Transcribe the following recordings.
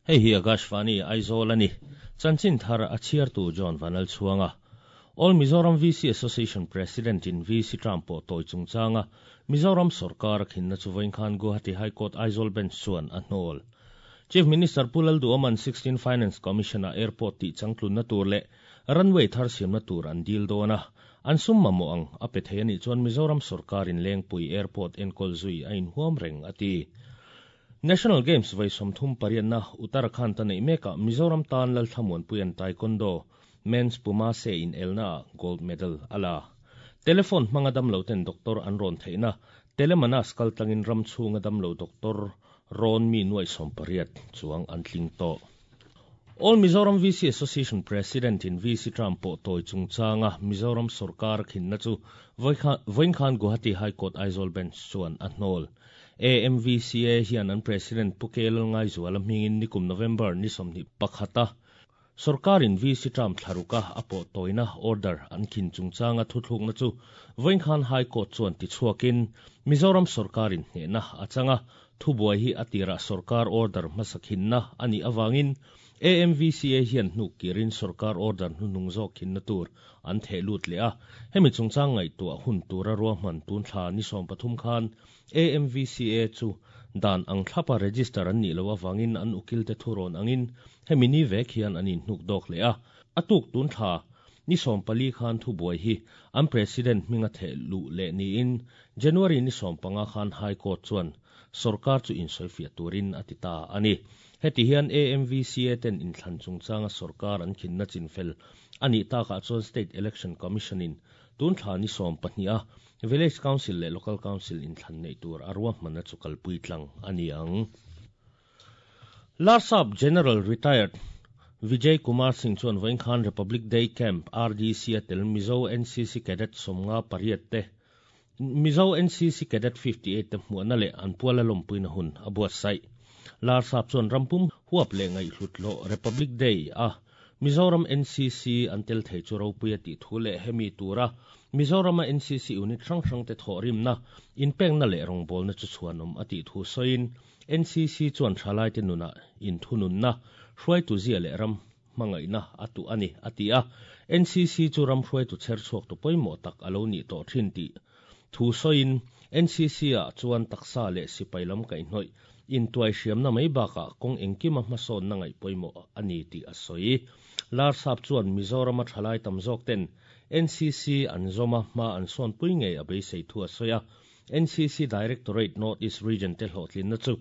Hei hi Akashvani, Aizawl a ni. Chanchin thar a chhiartu John Vanlalchhuanga. All Mizoram VC Association President in VC term pawh tawi chungchanga Mizoram sawrkar a khinna chu vawiin khan Guwahati High Court Aizawl Bench chuan a hnawl. Chief Minister Pu Lalduhoma'n 16 Finance Commission-ah Airport tih changtlunna tur leh Runway thar siamna tur an dil dawn a, an sum mamawh ang a pe thei a nih chuan Mizoram sawrkarin Lengpui Airport enkawl zui a inhuam reng a ti. National Games vawi 38na Uttarakhand a neih mekah Mizoram tan Lalthlamuanpuia'n Taekwondo Men's Puma Se inelnaah Gold Medal a la. Telephone hmanga damloten doctor an rawn theihna Telemanas kaltlangin ram chhunga damlo doctor rawn mi nuaih 18 chuang an tling tawh. All Mizoram VC Association President in VC term pawh tawi chungchanga Mizoram sawrkar a khinna chu vawiin khan Guwahati High Court Aizawl Bench chuan a hnawl. AMVCA hian an President Pu K Lalngaizuala hmingin nikum November ni 21 a sawrkarin VC term thla ruka a pawh tawina order an khin chungchanga thuthlukna chu vawiin khan High Court chuan tichhuakin Mizoram sawrkarin hnehna a changa thubuai hi a tirah sawrkar order hmasa khinna a nih awangin AMVCA hian hnuk kirin sawrkar order hnuhnung zawk khinna tur an theh lut leh a. Hemi chungchang ngaihtuah hun tura ruahman tun thla ni 13 khan AMVCA chu dan ang thlapa register an nih loh awangin an ukilte thurawn angin hemi ni vek hian an inhnuk dawk leh a. A tuk tun thla ni 14 khan thubuai hi an president hminga theh luh leh niin January ni 15 khan High Court chuan sawrkar chu insawifiah turin a ti ta a ni. Heti hian AMVCA ten inthlan chungchanga sawrkar an khinna chinfel a nih takah chuan State Election Commission in tun thla ni 12 a Village Council leh Local Council inthlan neih tur a ruahmanna chu kalpui tlang a ni ang. Larsap General Retired Vijay Kumar Singh chuan vawiin khan Republic Day Camp RDC a tel Mizo NCC Cadet 58 te Mizo NCC Cadet 58 te hmuahna leh an puala lawmpuina hun a buatsaih. Larsap chuan rampum huap leh ngaihhlut hlawh Republic Day a Mizoram NCC an tel thei chu ropui a tih thu leh hemi tura Mizorama NCC unit hrang hrang te thawh rimna, inpekna leh rawngbawlna chu chhuanawm a tih thu sawiin NCC chuan thalai te nunah inthununna, hruaitu zia leh ram hmangaihna a tuh a ni, a ti a. NCC chu ram hruaitu chher chhuak tu pawimawh tak a lo nih tawh thin tih thu sawiin NCC ah chuan taksa leh sipai lam kaihhnawih intuai hriamna mai bakah kawng engkima hmasawnna ngaih pawimawh a ni tih a sawi. Larsap chuan Mizorama thalai tam zawk ten NCC an zawma hma an sawnpui ngei a beisei thu a sawi a. NCC Directorate North East Region te hlawhtlinna chu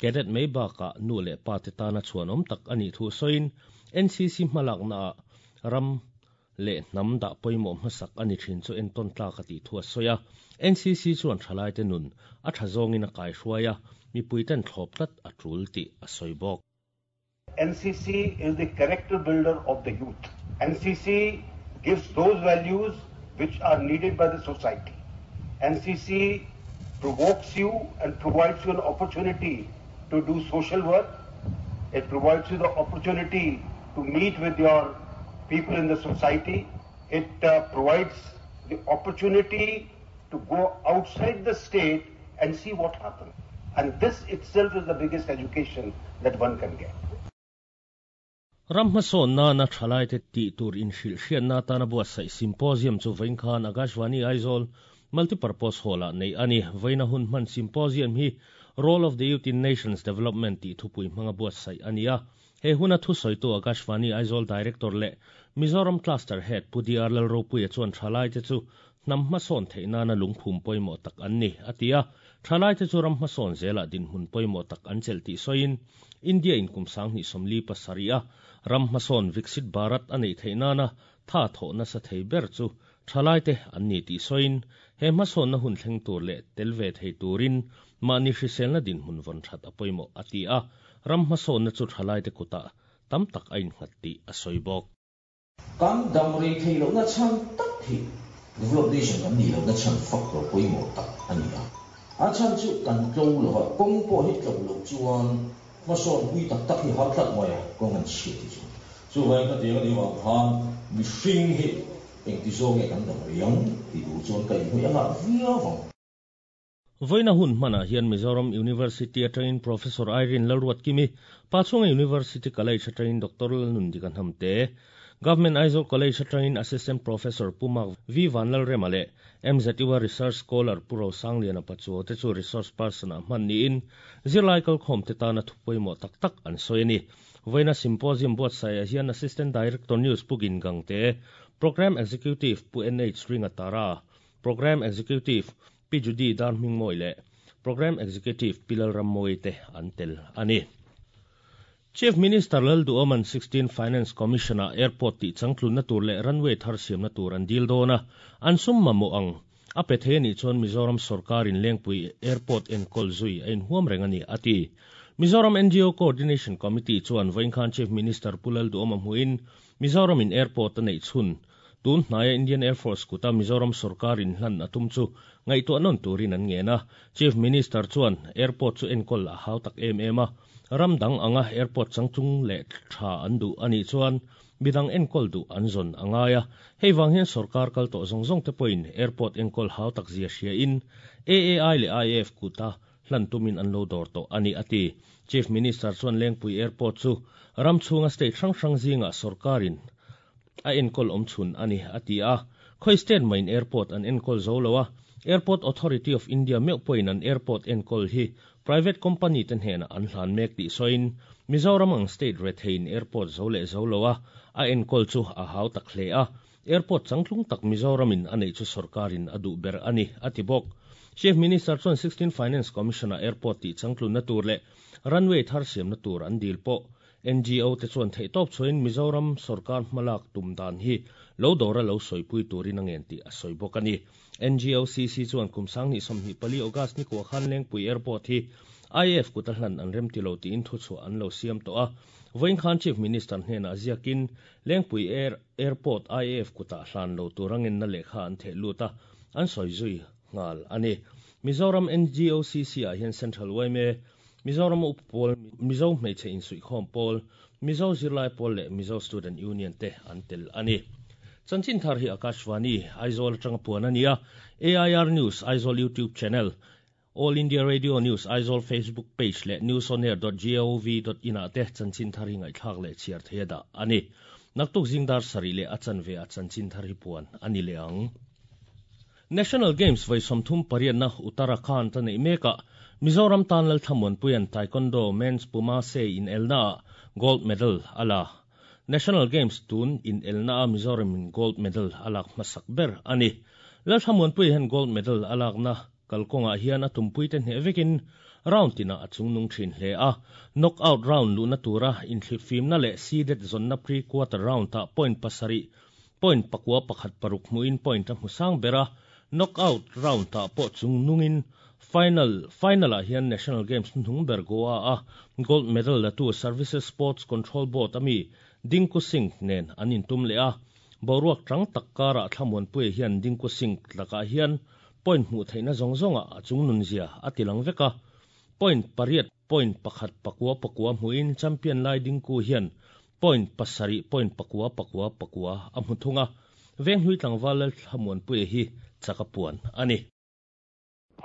cadet mai bakah nu leh pa te tana chhuanawm tak a nih thu sawiin NCC hmalakna ah ram leh hnam dah pawimawh hmasak a ni thin chu entawn tlak a tih thu a sawi a. NCC chuan thalai te nun a tha zawngin a kaihruai a, mipui ten thlawp tlat a tul tih a sawi bawk. NCC is the character builder of the youth. NCC gives those values which are needed by the society. NCC provokes you and provides you an opportunity to do social work. It provides you the opportunity to meet with your people in the society. It provides the opportunity to go outside the state and see what happens. And this itself is the biggest education that one can get. Ram hmasawn na thalai te tih tur inhrilh hriatna atana buatsaih symposium chu vawiin khan Akashvani Aizawl Multipurpose Hall ah neih a ni. Vawiina hun hman symposium hi Role of the Youth in Nations Development tih thupui hmanga buatsaih a ni a. He huna thusawitu Akashvani Aizawl Director leh Mizoram Cluster Head Pu DR Lalropuia chuan thalai te chu hnam hmasawn theih nana lungphum pawimawh tak an ni, a ti a. Thalai te chu ram hmasawn zelah dinhmun pawimawh tak an chelh tih sawiin India in kum 2037 a ram hmasawn Viksit Bharat a neih theih nana tha thawh nasa thei ber chu thalai te an ni tih sawiin he hmasawnna hun thleng tur leh tel ve thei turin mahni hriselna dinhmun vawn that a pawimawh a ti a. Ram hmasawnna chu thalai te kutah tam tak a innghat tih a sawi bawk. Kan dam rei thei lohna chhan tak hi develop nation kan nih lohna chhan factor pawimawh tak a ni a. A chhan chu kan tlo lo va, kawng pawh hi tlo loh chuan hmasawn pui tak tak hi har tlat mai a, kawng an chhiat hi chu. Chuvangin khatiang a nih avang khan mihring hi engti zawng nge kan dam rei ang tih tur chuan ka inhnawih a ngah viau ang. Vawiina hun hmanah hian Mizoram University atangin Professor Irene Lalruatkimi, Pachhunga University College atangin Doctor Lalnundika Hnamte, Government Aizawl College atangin Assistant Professor Pu Mark V Vanlalrema leh MZU-a Research Scholar Pu Rosangliana Pachuau te chu Resource Person-ah hman niin zirlai kalkhawmte tana thu pawimawh tak tak an sawi a ni. Vawiina Symposium buatsaihah hian Assistant Director News Pu Gin Gangte, Programme Executive Pu NH Ringatara, Programme Executive Pi Judy Darhmingmawi leh Programme Executive Pi Lalrammawii te an tel a ni. Chief Minister Lalduhoma'n 16 Finance Commission-ah airport tih changtlunna tur leh runway thar siamna tur an dil dawn a, an sum mamawh ang a pe thei a nih chuan Mizoram sawrkarin Lengpui Airport enkawl zui a inhuam reng a ni, a ti. Mizoram NGO Coordination Committee chuan vawiin Chief Minister Pu Lalduhoma hmuhin Mizoramin airport a neih chhun Tun hnaia Indian Air Force kuta Mizoram sorkar inhlan a tum chu ngaihtuah nawn turin an ngen a. Chief Minister chuan airport chu enkawl a hau tak em em a, ram dang anga airport changtlung leh tha an duh a nih chuan midang enkawl duh an zawn a ngai a. Hei vang hian sorkar kal tawh zawng zawng te pawhin airport enkawl hau tak zia hria in AAI leh IAF kuta hlan tumin an lo dawr tawh a ni, a ti. Chief Minister chuan Lengpui Airport chu ram chhunga state hrang hrang zingah sorkarin a enkawl awm chhun a ni, a ti a. Khawi state main airport an enkawl zo lo a, Airport Authority of India meuh pawhin an airport enkawl hi private company te hnenah an hlan mek tih sawiin, Mizoram ang state retheiin airport zo leh zo lo a, a enkawl chu a hau tak hle a. Airport changtlung tak Mizoramin a neih chu sorkarin a duh ber a ni, a ti bawk. Chief Minister chuan 16 Finance Commission-ah airport tih changtlunna tur leh runway thar siamna tur an dil pawh NGO te chuan theihtawp chhuahin Mizoram sorkar hmalak tum dan hi lo dawra lo sawipui turin a ngen tih a sawi bawk a ni. NGOCC chuan kum 2024 August ni kua khan Lengpui Airport hi IAF kuta hlan an remti lo tiin thuchhuah an lo siam tawh a. Vawiin khan Chief Minister hnenah ziakin Lengpui Air Airport IAF kutah hlan lo tur a ngenna lehkha an theh lut a, an sawi zui nghal a ni. Mizoram NGOCC ah hian Central yma, Mizoram Upa Pawl, Mizo Hmeichhe Insuihkhawm Pawl, Mizo Zirlai Pawl leh Mizo Student Union te an tel a ni. Chanchin thar hi Akashvani, Aizawl atanga puan a ni a, AIR News, Aizawl YouTube Channel, All India Radio News, Aizawl Facebook Page leh newsonair dot gov dot in ah te chanchin thar hi ngaihthlak leh chhiar thei a dah a ni. Naktuk zingdar sarih leh a chanve ah chanchin thar hi puan a ni leh ang. National Games vawi 38na Uttarakhand a neih mekah Mizoram tan Lalthlamuanpuia'n Taekwondo Men's Puma Se inelnaah gold medal a la. National Games tun inelnaah Mizoramin gold medal a lak hmasak ber a ni. Lalthlamuanpuia hian gold medal a lakna kalkawngah hian a tumpuite hneh vekin round tinah a chungnung thin hle a. Knockout round luhna tura inthlipfimna leh seeded zawnna pre-quarter round-ah point pasarih Point pakua pakhat paruk hmuhin point a hmu sang ber a, knockout round-ah pawh chungnungin final final-ah hian National Games hnuhnung ber Goa-a gold medal latu Services Sports Control Board ami Dinku Singh nen an intum leh a. Boruak tang tak karah Thlamuanpuia hian Dinku Singh lakah hian point hmuh theihna zawng zawngah a chungnunzia a tilang vek a. Point pariat point pakhat pakua pakua hmuhin champion lai Dinku hian Point pasarih point pakua pakua pakua a hmu thung a, Venghlui tlangval Lalthlamuanpuia hi chak a puan a ni.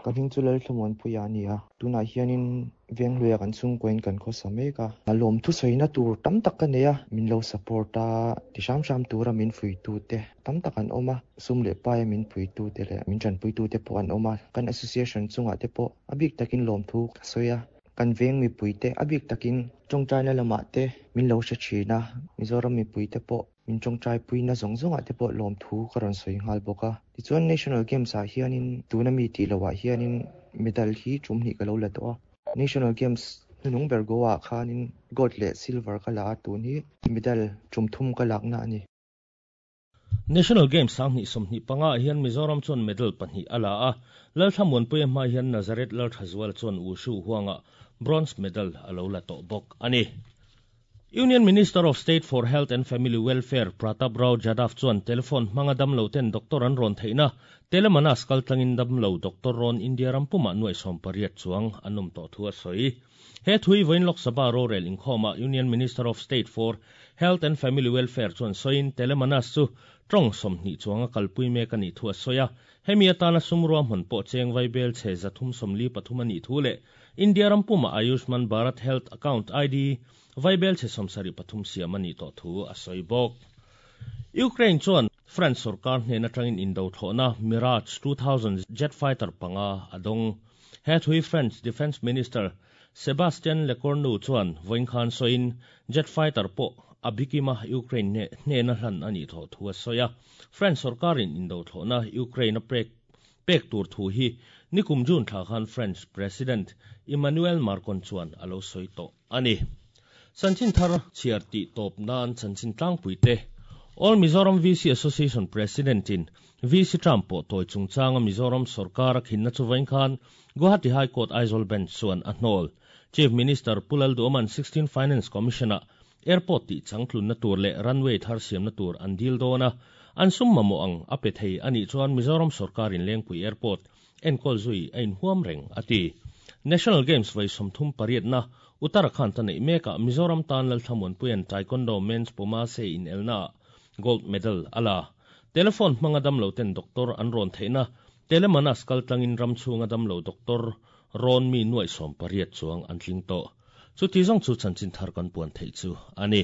Ka hming chu Lalthlamuanpuia a ni a, tunah hianin Venghluia kan chhungkuain kan khawsa mek a. Lawm thusawina tur tam tak ka nei a, min lo support a, ti hram hram tura min fuitute tam tak an awm a, sum leh paia min puitute leh min tanpuitute pawh an awm a, kan association chungah te pawh a bik takin lawmthu ka sawi a. Kan veng mipuite a bik takin tawngtaina lamah te min lo hre thin a, Mizoram mipuite pawh min tawngtaipuina zawng zawngah te pawh lawmthu ka rawn sawi nghal bawk a. Tichuan National Games ah hianin tuna mi tih loh ah hianin medal hi tum hnih ka lo la tawh a. National Games hnuhnung ber Goa ah khanin gold leh silver ka la a, tun hi medal tum thum ka lakna a ni. National Games 2025 ah hian Mizoram chuan medal pahnih a la a, Lalthlamuanpuia hma hian Nazareth Lalthazuala chuan Wushu huangah bronze medal a lo la tawh bawk a ni. Union Minister of State for Health and Family Welfare Pratap Rao Jadhav chuan telephone hmanga damlo ten doctor an rawn theihna Telemanas kaltlangin damlo doctor rawn India ram pumah nuaih 18 chuang an awm tawh thu a sawi. He thui vawiin Lok Sabha rorel inkhawmah Union Minister of State for Health and Family Welfare chuan sawiin Telemanas chu Tawng 20 chuanga kalpui mek a nih thu a sawi a, hemi atana sum ruahman pawh cheng vaibel chhe 343 a nih thu leh India ram puma Ayushman Bharat Health Account ID vaibel chhe 73 siam a nih tawh thu a sawi bawk. Ukraine chuan France sorkar hnen atangin indo thlawhna Mirage 2000 jet fighter panga a dawng. He thui French Defence Minister Sebastien Lecornu chuan vawiin khan sawiin jet fighter pawh a bikima Ukraine hnena hlan a nih tawh thu a sawi a. France sorkarin indo thlawhna Ukraine a pek pek tur thu hi nikum June thla khan French President Emmanuel Macron chuan a lo sawi tawh a ni. Chanchin thar chhiar tih tawp nan chanchin tlangpui te All Mizoram VC Association President in VC term pawh tawi chungchanga Mizoram sorkar a khinna chu vawiin khan Guwahati High Court Aizawl Bench chuan a hnawl. Chief Minister Pu Lalduhoma'n 16 Finance Commission-ah airport tih changtlunna tur leh runway thar siamna tur an dil dawn a, an sum mamawh ang a pe thei a nih chuan Mizoram sorkarin Lengpui Airport enkawl zui a inhuam reng a ti. National Games vawi 38na Uttarakhand a neih mekah Mizoram tan Lalthlamuanpuia'n Taekwondo Men's Pumase inelnaah gold medal a la. Telephone hmanga damlo ten doctor an rawn theihna Telemanas kal tlangin ram chhunga damlo doctor rawn mi nuaih 18 chuang an tling tawh. Chuti zawng chu chanchin thar kan puan theih chu a ni.